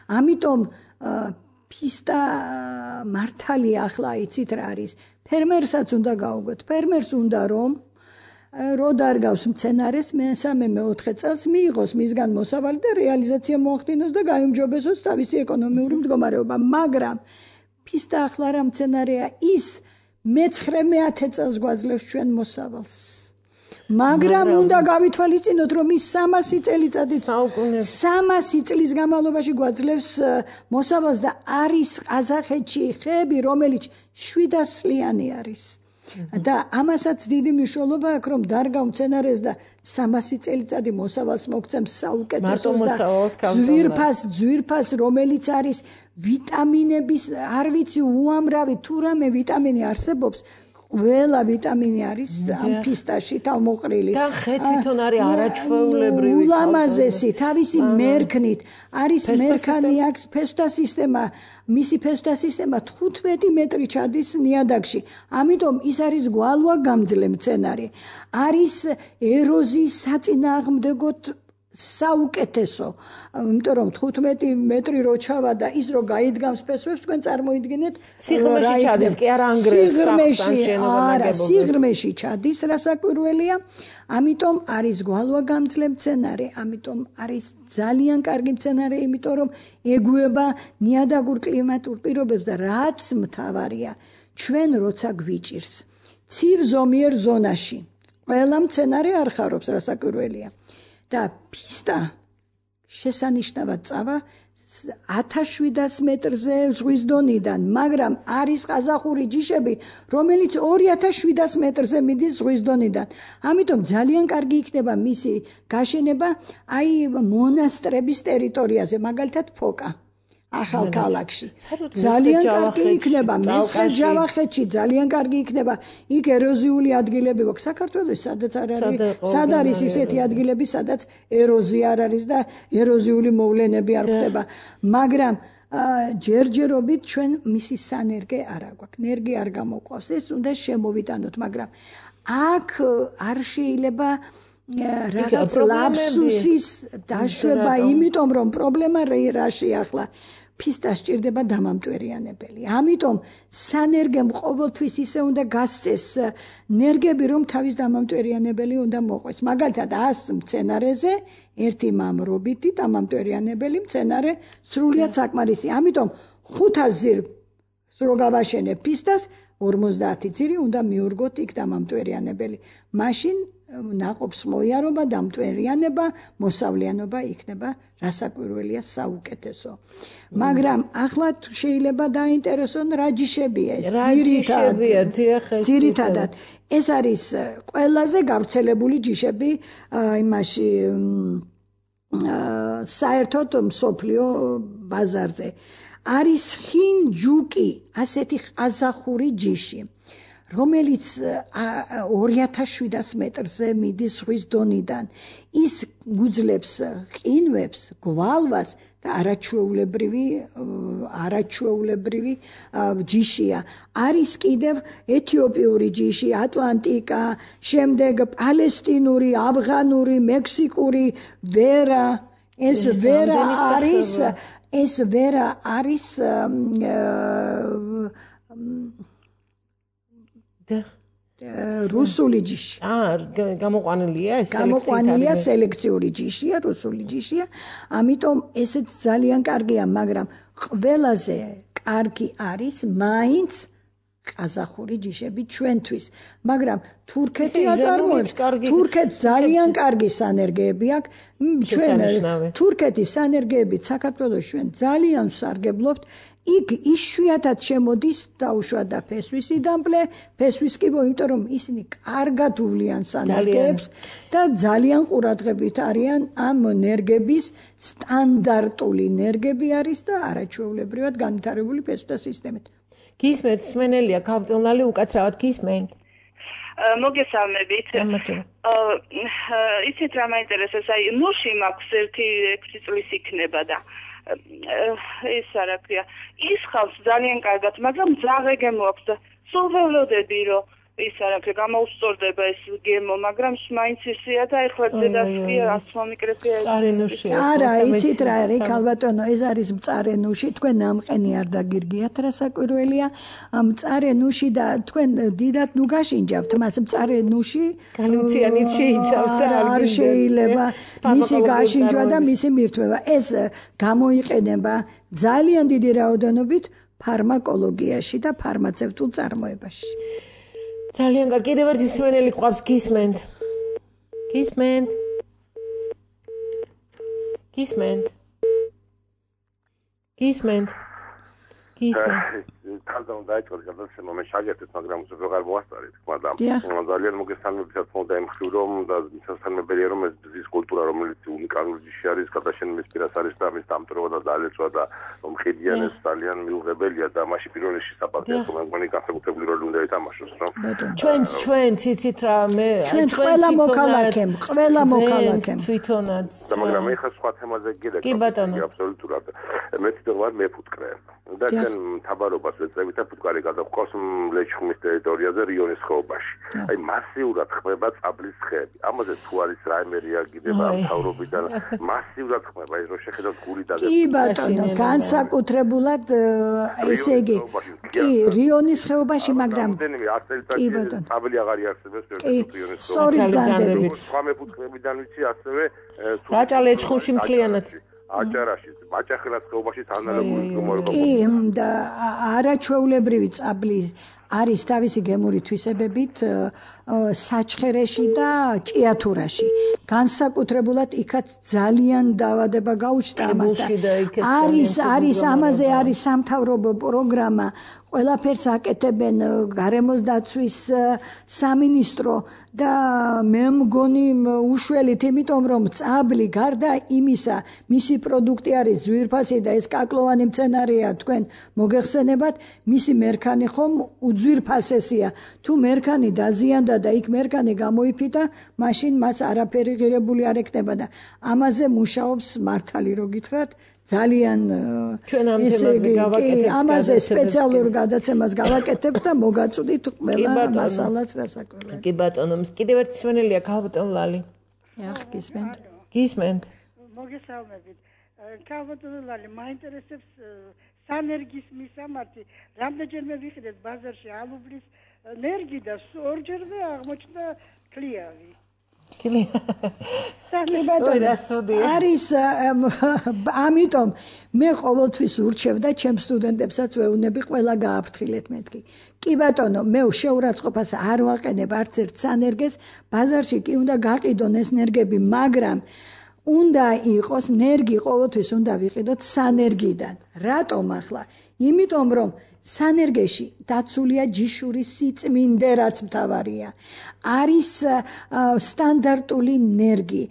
ამიტომ ფისტა მართალია ახლა იცით რა არის. ფერმერსაც უნდა გაუგოთ. ფერმერს უნდა რომ რო დარგავს მცენარეს მე-3-4 წელს მიიღოს მისგან მოსავალი და რეალიზაცია მოახდინოს და გაიმჯობესოს თავისი ეკონომიური მდგომარეობა. მაგრამ ფისტა ახლა რა მცენარეა, ის მე-9-10 წელს გვაძლევს ჩვენ მოსავალს. მაგრამ უნდა გავითვალისწინოთ, რომ ის 300 წლის განმავლობაში გვაძლევს მოსავალს და არის ყაზახეთში ხეები, რომელიც 700 წლიანი არის. და ამასაც დიდი მნიშვნელობა აქვს, რომ დარგავ მცენარეს და 300 წელიწადი მოსავალს მოგცემს საუკეთესოს და ძვირფას, რომელიც არის ვიტამინების, არ ვიცი უამრავი თუ რამე ვიტამინი არსებობს, ყველა ვიტამინი არის ამ ფისტაში თავმოყრილი. და ხე თვითონ არის არაჩვეულებრივი. ულამაზესი თავისი მერქნით არის მერქანი აქვს ფესვთა სისტემა, მისი ფესვთა სისტემა 15 მეტრი ჩადის ნიადაგში. ამიტომ ის არის გვალვა გამძლე მცენარე. არის ეროზიის საწინააღმდეგოდ საუკეთესო. იმიტომ რომ 15 მეტრი რო ჩავა და ის რო გაიდგამს ფესვებს, თქვენ წარმოიდგინეთ სიღრმეში ჩადის, კი არა ანგრევს სიღრმეში ჩადის, რასაკვირველია. ამიტომ არის გვალვა გამძლე მცენარე, ამიტომ არის ძალიან კარგი მცენარე, იმიტომ რომ ეგუება ნიადაგურ კლიმატურ პირობებს და რაც მთავარია, ჩვენ როცა გვიჭირს ცივ ზომიერ ზონაში, ყველა მცენარე არ ხარობს, რასაკვირველია. და ფისტა შესანიშნავად წავა 1700 მეტრზე ზღვის დონიდან, მაგრამ არის ყაზახური ჯიშები, რომელიც 2700 მეტრზე მიდის ზღვის დონიდან. ამიტომ ძალიან კარგი იქნება მისი გაშენება აი მონასტრების ტერიტორიაზე, მაგალითად ფოკა. ახალ ქალაქში ძალიან კარგი იქნება, მესხეთ-ჯავახეთში ძალიან კარგი იქნება. იქ ეროზიული ადგილები გვაქვს საქართველოს, სადაც არ არის, სად არის ისეთი ადგილები, სადაც ეროზია არ არის და ეროზიული მოვლენები არ ხდება. მაგრამ ჯერჯერობით ჩვენ მისი სანერგე არ აქვს. ნერგი არ გამოყვავს. ეს უნდა შემოვიტანოთ, მაგრამ აქ არ შეიძლება რაღაც ლაფსუსის დაშვება, იმიტომ რომ პრობლემა რაშია ახლა. ფისტა სჭირდება დამამტვერიანებელი. ამიტომ სანერგემ ყოველთვის ისე უნდა გასცეს ნერგები, რომ თავის დამამტვერიანებელი უნდა მოყვეს. მაგალითად 100 მცენარეზე ერთი მამრობითი დამამტვერიანებელი მცენარე სრულიად საკმარისი. ამიტომ 500 ძირს რო გავაშენებ ფისტას, 50 ძირი უნდა მიურგოთ იქ დამამტვერიანებელი. მაშინ ნაყოფს მოიარობა, დამტვერიანება, მოსავლიანობა იქნება რასაკვირველია საუკეთესო. მაგრამ ახლა შეიძლება დაინტერესონ რა ჯიშებია ეს ძირითადად ეს არის ყველაზე გავრცელებული ჯიშები იმაში საერთოდ მსოფლიო ბაზარზე არის ხინჯუკი ასეთი ყაზახური ჯიში რომელიც 2700 მეტრზე მიდის ზღვის დონიდან ის გუძლებს ყინვებს გვალვას და არაჩვეულებრივი ჯიშია არის კიდევ ეთიოპიური ჯიში ატლანტიკა შემდეგ პალესტინური ავღანური მექსიკური ვერა ეს ვერა არის რუსული ჯიში. გამოყვანილია ეს გამოყვანილია სელექციური ჯიშია, რუსული ჯიშია. ამიტომ ესეც ძალიან კარგია, მაგრამ ყველაზე კარგი არის მაინც ყაზახური ჯიშები ჩვენთვის. მაგრამ თურქეთი აწარმოებს, თურქეთს ძალიან კარგი სანერგეები აქვს. ჩვენ თურქეთის სანერგეებით საქართველოს ჩვენ ძალიან ვსარგებლობთ. იქ იშვიათად შემოდის დაუშვა და ფესვისი დამპლე, ფესვის კი იმიტომ რომ ისინი კარგად უვლიან სანერგეებს და ძალიან ყურადღებით არიან ამ ნერგების სტანდარტული ნერგები არის და არაჩვეულებრივად განვითარებული ფესვთა სისტემით. გისმენთ, სმენელია, ქავტონლალი უკაცრავად გისმენთ. მოგესალმებით. ისეთ რა მაინტერესებს, აი ნუში მაქვს 6 წლის იქნება და ეს არა ქვია ის ხავს ძალიან კარგად მაგრამ ძაღლი გემოაქვს და სულ ველოდები რომ ის არა ქვია გამოუსწორდება ეს გემო მაგრამ მაინც ისია და ეხლა დედასია რაც მომიკრებია არა იცით რა არის ქალბატონო ეს არის მწარე ნუში თქვენ ამყენი არ დაგირგიათ რასაკვირველია მწარე ნუში და თქვენ დიდად ნუ გაშინჯავთ მას მწარე ნუში განიციანით შეიცავს და არ შეიძლება მისი გაშინჯვა და მისი მირთმევა ეს გამოიყენება ძალიან დიდი რაოდენობით ფარმაკოლოგიაში და ფარმაცევტულ წარმოებაში ძალიან კარგი კიდევ ერთი მსმენელი ყავს გისმენთ თალდან დაიწყო გადაცემა მე შაგერთეთ მაგრამ უზო ვეღარ მოასწარეთ თქმა და ძალიან მოგესალმებათ თქმა იმ ხრივ რომ და სასწრაფებელია რომ ეს ძის კულტურა რომელიც უნიკალური ჯიში არის გადაშენების პირას არის და ამის დამტვრობა და დალეცვა და მომხედიან ეს ძალიან მიუღებელია და მაშინ პირველ რიგში საპატრიარქო მეგონი განსაკუთრებული როლი უნდა ეთამაშოს რომ ჩვენ ციცით რა მე ჩვენ ყველა მოქალაქემ თვითონაც და მაგრამ ეხლა სხვა თემაზე გიდე აბსოლუტურად მე თვითონ მეფუტკრე და ჩვენ თაბარობას ვეწევით და ფუტკარი გადაგვყავს ლეჩხუმის ტერიტორიაზე რიონის ხეობაში. აი მასიურად ხმება წაბლის ხეები. ამაზე თუ არის რაიმე რეაგირება ამ თავრობიდან მასიურად ხმება ეს რო შეხედოთ გული და კი ბატონო განსაკუთრებულად ესე იგი კი რიონის ხეობაში მაგრამ კი ბატონო წაბლი აღარ იარსებებს რიონის ხეობაში. სორი ძანდები. სხვა მეფუტკრებიდან ვიცი ასევე რაჭა ლეჩხუმში მთლიანად აჭარაში, მაჭახელას ხეობაში ანალოგური მდგომარეობა. კი, და არაჩვეულებრივი წაბლი არის თავისი გემური თვისებებით საჩხერეში და ჭიათურაში. განსაკუთრებულად იქაც ძალიან დაავადება გაუჩნდა ამასთან. არის ამაზე არის სამთავრობო პროგრამა ყველაფერს აკეთებენ გარემოს დაცვის სამინისტრო და მე მგონი უშველით იმიტომ რომ წაბლი გარდა იმისა მისი პროდუქტი არის ძვირფასი და ეს კაკლოვანი მცენარეა თქვენ მოგეხსენებათ მისი მერქანი ხომ უძვირფასესია თუ მერქანი დაზიანდა და იქ მერქანი გამოიფიტა მაშინ მას არაფერი ღირებული არ ექნება და ამაზე მუშაობს მართალი რო გითხრათ ძალიან ჩვენ ამ თემაზე გავაკეთებთ ამაზე სპეციალურ გადაცემას გავაკეთებთ და მოგაწვდით ყველა მასალას რასაკვირველია. კი ბატონო, კიდევ ერთი სვენელია ქალბატონ ლალი. გისმენთ. მოგესალმებით. ქალბატონ ლალი, მაინტერესებს სანერგის მისამართი. რამდენჯერმე ვიყიდეთ ბაზარში ალუბლის ნერგი და ორჯერმე აღმოჩნდა ქლიავი. არის ამიტომ მე ყოველთვის ურჩევ და ჩემ სტუდენტებსაც ვეუბნები ყველა გააფრთხილეთ მეთქი. კი ბატონო, მე შეურაცხყოფას არ ვაყენებ არც ერთ სანერგეს, ბაზარში კი უნდა გაყიდონ ეს ნერგები, მაგრამ უნდა იყოს ნერგი ყოველთვის უნდა ვიყიდოთ სანერგიდან. რატომ ახლა? იმიტომ რომ სანერგეში დაცულია ჯიშურის სიწმინდე, რაც მთავარია. არის სტანდარტული ნერგი.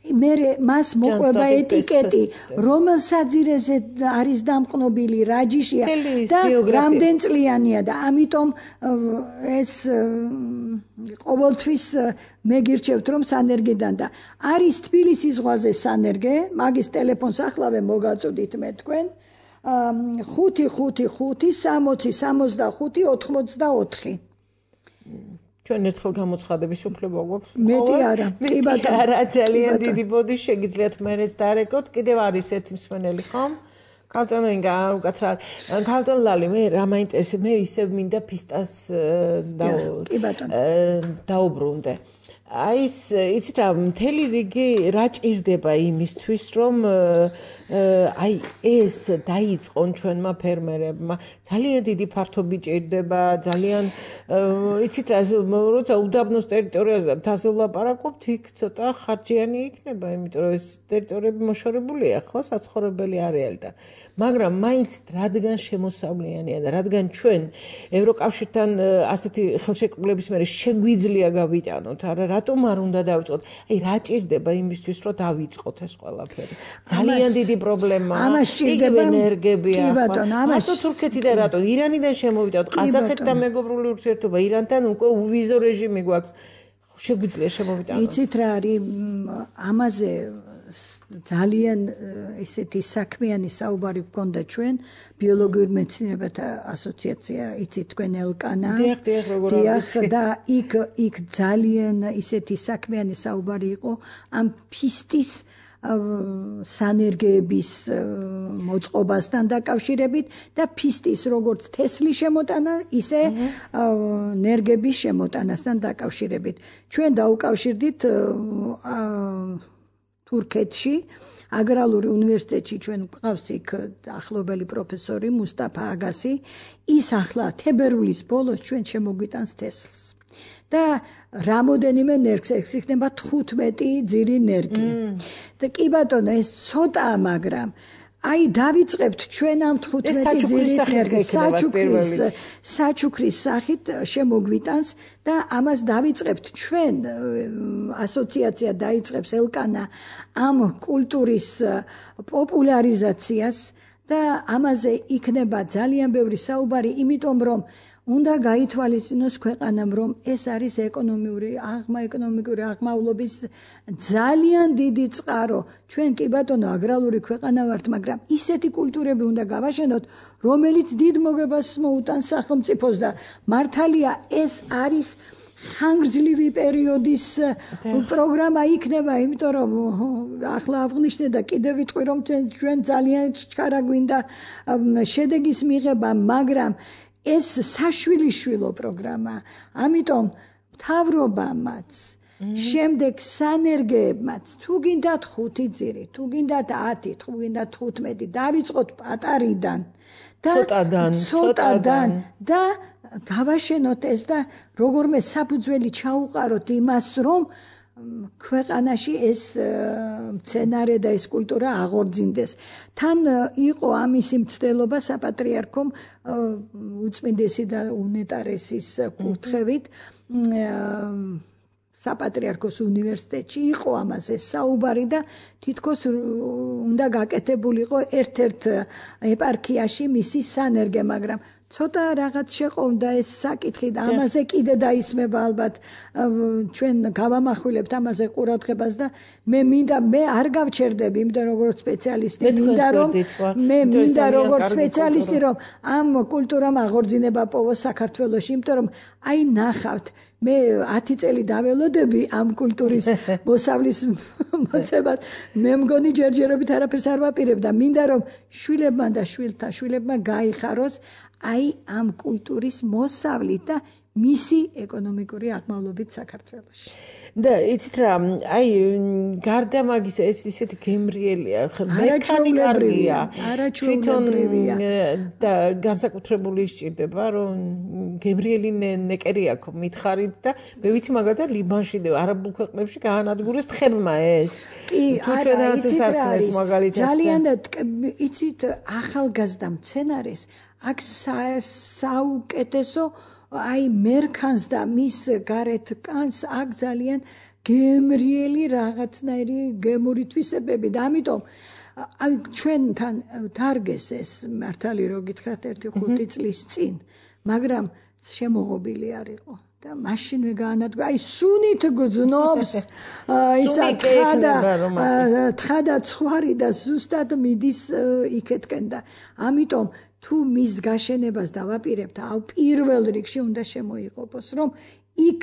მას მოყვება ეტიკეტი, რომელ საძირეზე არის დამყნობილი, რა ჯიშია და რამდენ წლიანია და ამიტომ ეს ყოველთვის მე გირჩევთ რომ სანერგიდან და არის თბილისის ზღვაზე სანერგე, მაგის ტელეფონს ახლავე მოგაწოდით მე თქვენ 555-60-65-84 ჩვენ ერთხელ გამოცხადების უფლება გვაქვს. მეტი არა. კი ბატონო. არა, ძალიან დიდი ბოდი შეგიძლიათ მერეც დარეკოთ. კიდევ არის ერთი მსმენელი, ხომ? ქალტონო ინგა უკაცრავ. ქალტონ ლალი, მე რა მაინტერესებს, მე ისევ მინდა ფისტას კი ბატონო. დაუბრუნდე. აი ეს იცით რა, მთელი რიგი რა ჭირდება იმისთვის, რომ აი ეს დაიწყონ ჩვენმა ფერმერებმა ძალიან დიდი ფართობი ჭირდება ძალიან იცით რა როცა უდაბნოს ტერიტორიაზე თასო ლაპარაკობთ იქ ცოტა ხარჯიანი იქნება იმიტომ რომ ეს ტერიტორიები მოშორებულია ხო საცხოვრებელი არეალი და მაგრამ მაინც რადგან შემოსავლიანია და რადგან ჩვენ ევროკავშირთან ასეთი ხელშეკრულების მერე შეგვიძლია გავიტანოთ არა რატომ არ უნდა დავიწყოთ აი რა ჭირდება იმისთვის რომ დავიწყოთ ეს ყველაფერი ძალიან დიდი პრობლემაა ამას ჭირდება ენერგებია მარტო თურქეთიდან რატო ირანიდან შემოვიდათ ყაზახეთთან მეგობრული ურთიერთობა ირანთან უკვე უვიზო რეჟიმი გვაქვს შეგვიძლია შემოვიდანოთ იცით რა არის ამაზე ძალიან ესეთი საქმიანი საუბარი გქონდა ჩვენ ბიოლოგიურ მეცნიერებათა ასოციაცია იცით თქვენ ელკანა დიახ და იქ ძალიან ისეთი საქმიანი საუბარი იყო ამ ფისტის სანერგეების მოწყობასთან დაკავშირებით და ფისტის როგორც თესლის შემოტანა ისე ნერგების შემოტანასთან დაკავშირებით ჩვენ დაუკავშირდით თურქეთში აგრარული უნივერსიტეტში ჩვენ გვყავს იქ ახლობელი პროფესორი მუსტაფა აგასი ის ახლა თებერვლის ბოლოს ჩვენ შემოგვიტანს თესლს და რამოდენიმე ნერგს ეს იქნება 15 ძირი ნერგი და კი ბატონო ეს ცოტაა მაგრამ აი დავიწყებთ ჩვენ ამ 15 ძირი ნერგის საჩუქრის სახით შემოგვიტანს და ამას დავიწყებთ ჩვენ ასოციაცია დაიწყებს ელკანა ამ კულტურის პოპულარიზაციას და ამაზე იქნება ძალიან ბევრი საუბარი იმიტომ რომ უნდა გაითვალისწინოს ქვეყანამ რომ ეს არის ეკონომიკური აღმავლობის ძალიან დიდი წყარო ჩვენ კი ბატონო აგრარული ქვეყანა ვართ მაგრამ ისეთი კულტურები უნდა გავაშენოთ რომელიც დიდ მოგებას მოუტანს სახელმწიფოს და მართალია ეს არის ხანგრძლივი პერიოდის პროგრამა იქნება იმიტომ რომ ახლა აღნიშნე და კიდევ ვიტყვი რომ ჩვენ ძალიან ჩქარა გვინდა შედეგის მიღება მაგრამ ეს საშვილიშვილო პროგრამა ამიტომ მთავრობამაც შემდეგ სანერგეებმაც თუ გინდათ 5 ძირი თუ გინდათ 10 თუ გინდათ 15 დავიწყოთ პატარიდან და ცოტადან და გავაშენოთ ეს და როგორმე საფუძველი ჩაუყაროთ იმას რომ ქვეყანაში ეს მცენარე და ეს კულტურა აღორძინდეს. თან იყო ამისი მცდელობა საპატრიარქომ უწმინდესი და უნეტარესის კურთხევით საპატრიარქოს უნივერსიტეტში იყო ამაზე საუბარი და თითქოს უნდა გაკეთებულიყო ერთ-ერთ ეპარქიაში მისი სანერგე, მაგრამ ცოტა რაღაც შეყოვდა ეს საკითხი და ამაზე კიდე დაისმება ალბათ ჩვენ გავამახვილებთ ამაზე ყურადღებას და მე არ გავჩერდები იმიტომ როგორც სპეციალისტი მინდა როგორც სპეციალისტი რომ ამ კულტურამ აღორძინება პოვოს საქართველოში იმიტომ რომ აი ნახავთ მე 10 წელი დაველოდები ამ კულტურის მოსავლის მოწებას მე მგონი ჯერჯერობით არაფერს არ ვაპირებ და მინდა რომ შვილებმა და შვილთა შვილებმა გაიხაროს აი ამ კულტურის მოსავლით და მისი ეკონომიკური აღმავლობით საქართველოში. და იცით რა, აი გარდა მაგის ეს ისეთი გემრიელია, მექანიკარია, არაჩვეულებრივია და განსაკუთრებული სჭირდება, რომ გემრიელი ნეკერი აქვს მითხარით და მე ვიცი მაგალითად ლიბანში და არაბულ ქვეყნებში გაანადგურეს თხებმა ეს. კი, არა, იცით რა არის, მაგალითად ძალიან იცით ახალგაზრდა მცენარეს აქ საუკეთესო აი მერქანს და მის გარეთ კანს აქ ძალიან გემრიელი რაღაცნაირი გემური თვისებები და ამიტომ აი ჩვენთან თარგეს ეს მართალი რო გითხრათ 1-5 წლის წინ მაგრამ შემოღობილი არ იყო და მაშინვე გაანადგურა აი სუნით გძნობს ისა თხა და ცხვარი და ზუსტად მიდის იქეთკენ და ამიტომ თუ მის გაშენებას დავაპირებთ, პირველ რიგში უნდა შემოიღობოს, რომ იქ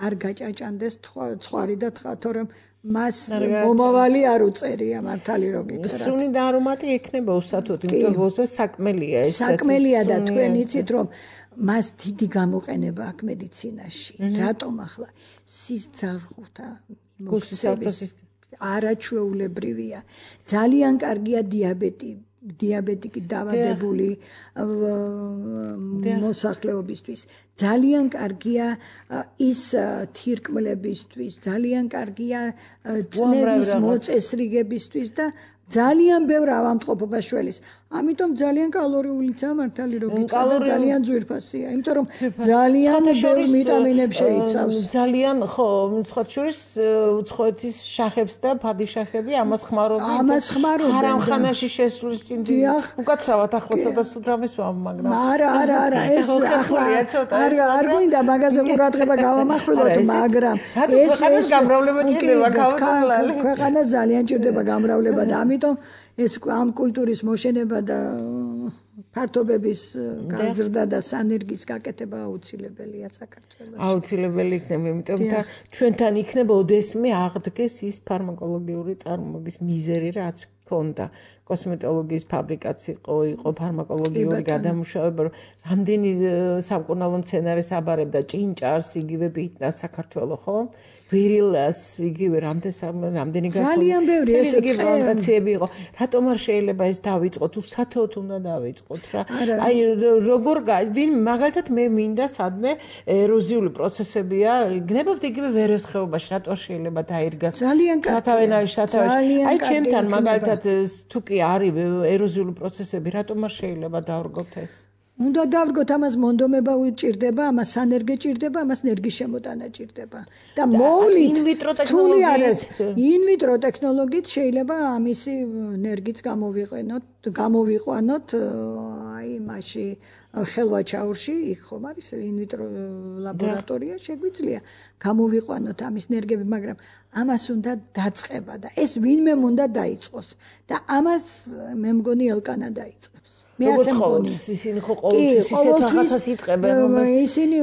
არ გაჭაჭანდეს ცხვარი და თხა, თორემ მას მომავალი არ უწერია მართალი რო გითხრათ. სუნი და არომატი ექნება უსათოდ, იმიტომ რომ საკმელია ეს. საკმელია და თქვენ იცით რომ მას დიდი გამოყენება აქვს მედიცინაში. რატომ ახლა სისხლძარღვთა მოქცევის არაჩვეულებრივია. ძალიან კარგია დიაბეტიკი დავადებული მოსახლეობისთვის ძალიან კარგია ის თირკმლებისთვის ძალიან კარგია წნევის მოწესრიგებისთვის და ძალიან ბევრ ავადმყოფობას შველის. ამიტომ ძალიან კალორიულიცაა მართალი რო გითხრათ ძალიან ძვირფასია. იმიტომ რომ ძალიან ბევრ ვიტამინებს შეიცავს. ძალიან ხო, სხვა შორის უცხოეთის შახებს და ფადიშახები ამას ხმარობენ. არამხანაში შესulis წინ უკაცრავად ახლა ცოტა სულ რამეს ვამ მაგრამ. არა, ეს ახლა არ გვინდა მაგაზე ყურადღება გავამახვილოთ, მაგრამ ეს გამრავლება ჭირდება ქავთვალალი. ქვეყანა ძალიან ჭირდება გამრავლება და ამიტომ ეს ამ კულტურის მოშენება და ფართობების გაზრდა და სანერგის გაკეთება აუცილებელია საქართველოში. აუცილებელი იქნება, იმიტომ და ჩვენთან იქნება ოდესმე აღდგეს ის ფარმაკოლოგიური წარმოების მიზერი, რაც ჰქონდა. კოსმეტოლოგიის ფაბრიკაც იყო ფარმაკოლოგიური გადამუშავება, რამდენი სამკურნალო მცენარეს აბარებდა ჭინჭარს, იგივე ბიტნას საქართველოს, ხო? ვირილას, იგივე რამდენი ძალიან ბევრი ესე პლანტაციები იყო. რატომ არ შეიძლება ეს დავიწყოთ? უსათოდ უნდა დავიწყოთ რა. აი როგორ ვინ მაგალითად მე მინდა სადმე ეროზიული პროცესებია, გნებავთ იგივე ვერესხეობაში, რატო არ შეიძლება დაირგას? სათავენაში. აი ჩემთან მაგალითად თუ კი არის ეროზიული პროცესები, რატომ არ შეიძლება დავრგოთ ეს? უნდა დავრგოთ, ამას მონდომება უჭირდება, ამას სანერგე ჭირდება, ამას ნერგის შემოტანა ჭირდება. და მოვლით ინვიტრო ტექნოლოგიით შეიძლება ამისი ნერგიც გამოვიყვანოთ აი მასში ხელვაჩაურში, იქ ხომ არის ინვიტრო ლაბორატორია, შეგვიძლია გამოვიყვანოთ ამის ნერგები, მაგრამ ამას უნდა დაწყება და ეს ვინმე უნდა დაიწყოს და ამას მე მგონი ელკანა დაიწყებს. მე ასე მგონი. ისინი ხო ყოველთვის ისეთ რაღაცას იწყებენ, რომელიც ისინი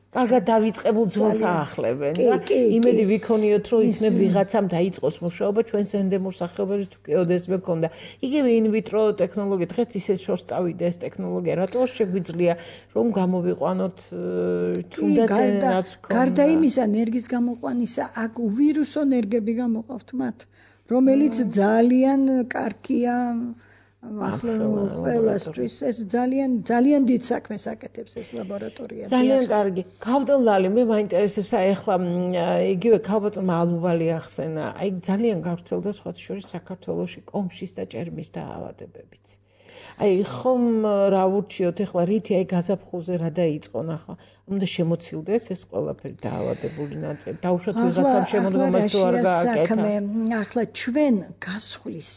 კარგად დავიწყებულ ძველს აახლებენ და იმედი ვიქონიოთ, რომ იქნებ ვიღაცამ დაიწყოს მუშაობა ჩვენს ენდემურ სახეობებში თუ კი ოდესმე ქონდა. იგივე ინვიტრო ტექნოლოგია, დღეს ისეთ შორს წავიდა ეს ტექნოლოგია, რატო შეგვიძლია რომ გამოვიყვანოთ თუნდაც რაც ქონდა. გარდა იმისა, ნერგის გამოყვანისა, აქ ვირუსო ნერგები გამოყავთ მათ, რომელიც ძალიან კარგია ახლა ყველასთვის ეს ძალიან დიდ საქმეს აკეთებს ეს ლაბორატორია. ძალიან კარგი. ქავდელალი მე მაინტერესებს აი ახლა იგივე ქალბატონმა ალუვალი ახსენა. აი ძალიან გავრცელდა სხვათა შორის საქართველოში კომშის და ჭერმის დაავადებებიც. აი ხომ რა ვურჩიოთ ახლა რითი აი გაზაფხულზე რა დაიწყონ ახლა უნდა შემოცილდეს ეს ყველაფერი დაავადებული ნაწილი. დაუშვათ ვიღაცამ შემოდგომას თუ არ გააკეთა. ახლა ჩვენ გასხლის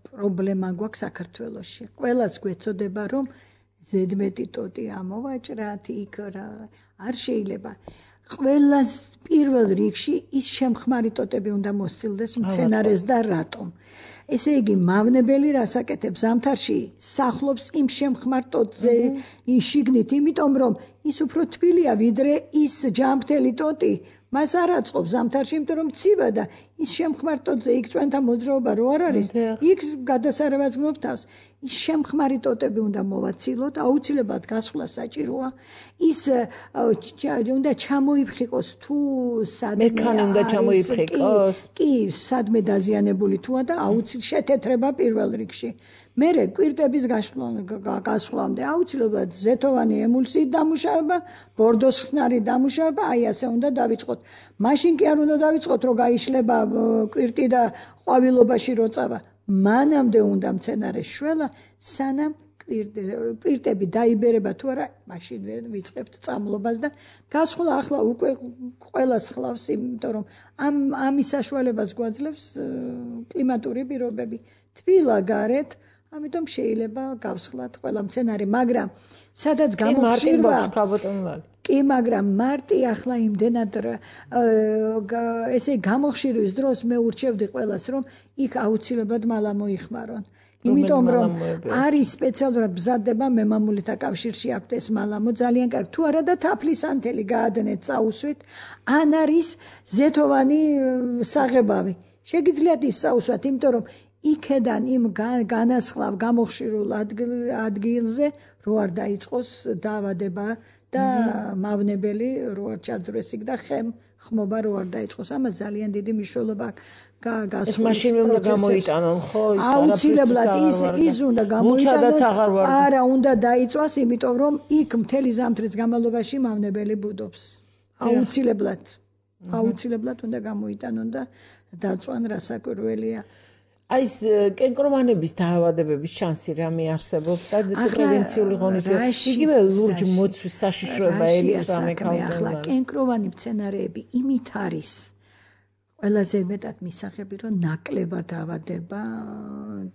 პრობლემა გვაქვს საქართველოში. ყველას გვეცოდება რომ ზედმეტი ტოტი ამოვაჭრათ იქ რა არ შეიძლება. ყველას პირველ რიგში ის შემხმარი ტოტები უნდა მოსცილდეს მცენარეს და რატომ? ესე იგი მავნებელი რას აკეთებს ზამთარში სახლობს იმ შემხმარ ტოტზე შიგნით, იმიტომ რომ ის უფრო თბილია ვიდრე ის ჯამრთელი ტოტი. მას არ აწყობს ზამთარში, იმიტომ რომ ცივა და ის შემხმართოთზე იქ ჩვენთან მოძრაობა რო არ არის, იქ გადასარევად გმობ თავს. ის შემხმარი ტოტები უნდა მოვაცილოთ, აუცილებლად გასვლა საჭიროა. ის უნდა ჩამოიფხიკოს თუ სადმე მექანი უნდა ჩამოიფხიკოს. კი, სადმე დაზიანებული თუა და აუცილებლად შეთეთრება პირველ რიგში. მერე კვირტების გასვლამდე აუცილებლად ზეთოვანი ემულსიით დამუშავება, ბორდოს ხსნარით დამუშავება, აი ასე უნდა დავიწყოთ. მაშინ კი არ უნდა დავიწყოთ, რომ გაიშლება კვირტი და ყვავილობაში რო წავა. მანამდე უნდა მცენარეს შველა, სანამ კვირტები დაიბერება თუ არა, მაშინ ვიწყებთ წამლობას და გასვლა ახლა უკვე ყველას ხლავს, იმიტომ რომ ამის საშუალებას გვაძლევს კლიმატური პირობები. თბილა გარეთ, ამიტომ შეიძლება გავსხლათ ყველა მცენარე, მაგრამ სადაც გამოხშირვა კი, მაგრამ მარტი ახლა იმდენად ესე გამოხშირვის დროს მე ურჩევდი ყველას, რომ იქ აუცილებლად მალა მოიხმარონ. იმიტომ რომ არის სპეციალურად მზადდება მემამულითა კავშირში აქვთ ეს მალამო ძალიან კარგი. თუ არა და თაფლის ანთელი გაადნეთ წაუსვით, ან არის ზეთოვანი საღებავი. შეგიძლიათ ის წაუსვათ, იმიტომ რომ იქედან იმ განასხლავ გამოხშირულ ადგილზე რო არ დაიწყოს დაავადება და მავნებელი რო არ ჩაძრეს იქ და ხმობა რო არ დაიწყოს. ამას ძალიან დიდი მნიშვნელობა ეს მაშინ უნდა გამოიტანონ, ხო? აუცილებლად ის უნდა გამოიტანონ. არა, უნდა დაიწვას, იმიტომ რომ იქ მთელი ზამთრის განმავლობაში მავნებელი ბუდობს. აუცილებლად უნდა გამოიტანონ და დაწვან, რასაკვირველია. აი ეს კენკრომანების დაავადებების შანსი რამე არსებობს და პრევენციული ღონისძიება. იგივე ლურჯ მოცვის საშიშროება ელის რამე ქალბატონი. ახლა კენკროვანი მცენარეები იმით არის ყველაზე მეტად მისაღები, რომ ნაკლებად დაავადება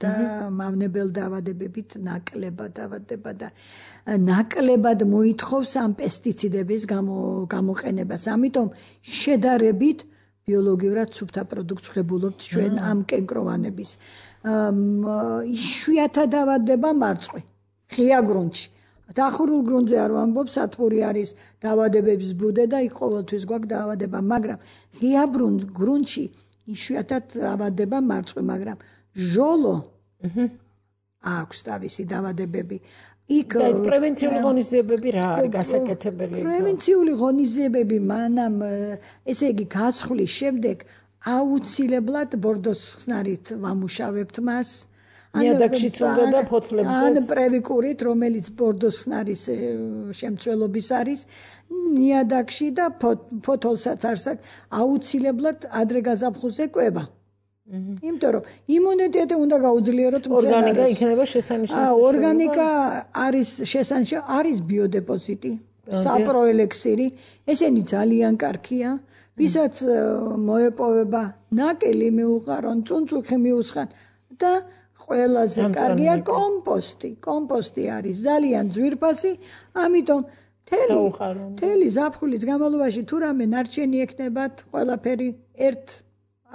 და მავნებელ დაავადებებით ნაკლებად დაავადება და ნაკლებად მოითხოვს ამ პესტიციდების გამოყენებას. ამიტომ შედარებით ბიოლოგიურად სუფთა პროდუქტს ღებულობთ ჩვენ ამ კენკროვანების. იშვიათად დაავადება მარწყვი, ღია გრუნტში. დახურულ გრუნტზე არ ვამბობ, სათბური არის დაავადებების ბუდე და იქ ყოველთვის გვაქვს დაავადება, მაგრამ ღია გრუნტში იშვიათად დაავადება მარწყვი, მაგრამ ჟოლო აქვს თავისი დაავადებები. იქ პრევენციული ღონისძიებები რა არის გასაკეთებელი? პრევენციული ღონისძიებები მანამ, ესე იგი, გასხლის შემდეგ აუცილებლად ბორდოს ხსნარით ვამუშავებთ მას. ნიადაგშიც უნდა და ფოთლებსაც. ან პრევიკურით, რომელიც ბორდოს ხსნარის შემცველობის არის, ნიადაგში და ფოთოლსაც არს აქვს, აუცილებლად ადრე გაზაფხულზე კვება. იმიტომ რომ იმუნიტეტი უნდა გაუძლიეროთ მცენარეს. ორგანიკა იქნება შესანიშნავი. ორგანიკა არის შესანიშნავი, არის ბიოდეპოზიტი, საპროელექსირი, ესენი ძალიან კარგია, ვისაც მოეპოვება ნაკელი მიუყარონ, წუნწუხი მიუსხან და ყველაზე კარგია კომპოსტი. კომპოსტი არის ძალიან ძვირფასი, ამიტომ მთელი ზაფხულის განმავლობაში თუ რამე ნარჩენი ექნებათ, ყველაფერი ერთ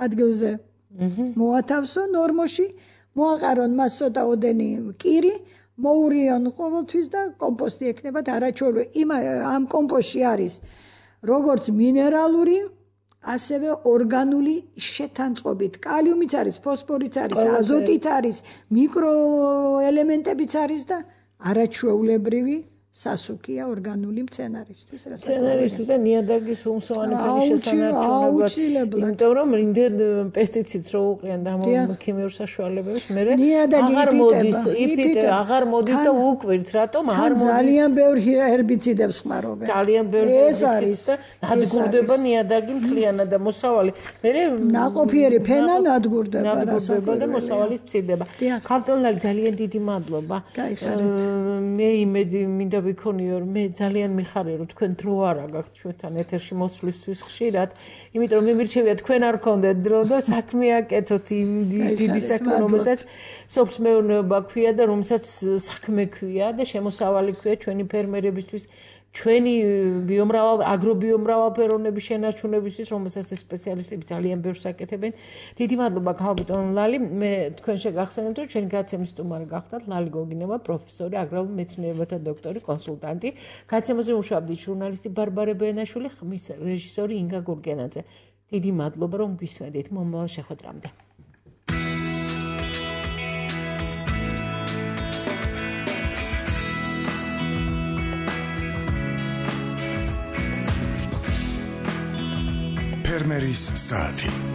ადგილზე მოათავსო ნორმოში, მოაყარონ მას ცოტაოდენი კირი, მოურიონ ყოველთვის და კომპოსტი ექნებათ არაჩვეულებრივი. ამ კომპოსტში არის როგორც მინერალური, ასევე ორგანული შეთანწყობით. კალიუმიც არის, ფოსფორიც არის, აზოტით არის, მიკროელემენტებიც არის და არაჩვეულებრივი სასუქია ორგანული მცენარისთვის. მცენარისთვის და ნიადაგის უმსოვანებელი შესანარჩუნებლად. იმიტომ რომ იმდენ პესტიციდს რო უყრიან და ქიმიურ საშუალებებს, მე აღარ მოდის და უკვირთ, რატომ არ მოდის? ძალიან ბევრ ჰერბიციდებს ხმარობენ. ძალიან ბევრ ჰერბიციდს და ნადგურდება ნიადაგი მთლიანად და მოსავალი. მე ნაყოფიერი ფენა ნადგურდება და მოსავალი მცირდება. ქალბატონი ძალიან დიდი მადლობა. მე იმედი მინდა ვიქონიო, მე ძალიან მიხარია, რომ თქვენ დრო არა გაქვთ ჩვენთან ეთერში მოსვლისთვის ხშირად, იმიტომ რომ მე მირჩევია თქვენ არ გქონდეთ დრო და საქმე აკეთოთ იმ დიდი საქმე, რომელსაც სოფლის მეურნეობა ქვია და რომელსაც საქმე ქვია და შემოსავალი ქვია ჩვენი ფერმერებისთვის, ჩვენი აგრობიომრავალფეროვნების შენარჩუნებისთვის, რომელსაც სპეციალისტები ძალიან ბევრს აკეთებენ. დიდი მადლობა ქალბატონ ლალი, მე თქვენ შეგახსენებთ, რომ ჩვენი გადაცემის სტუმარი გახდათ ლალი გოგინოვა, პროფესორი, აგრარულ მეცნიერებათა დოქტორი, კონსულტანტი. გადაცემაზე მუშაობდით ჟურნალისტი ბარბარე ბენაშვილი, ხმის რეჟისორი ინგა გურგენაძე. დიდი მადლობა რომ გვისმენთ მომავალ შეხვედრამდე. ფერმერის საათი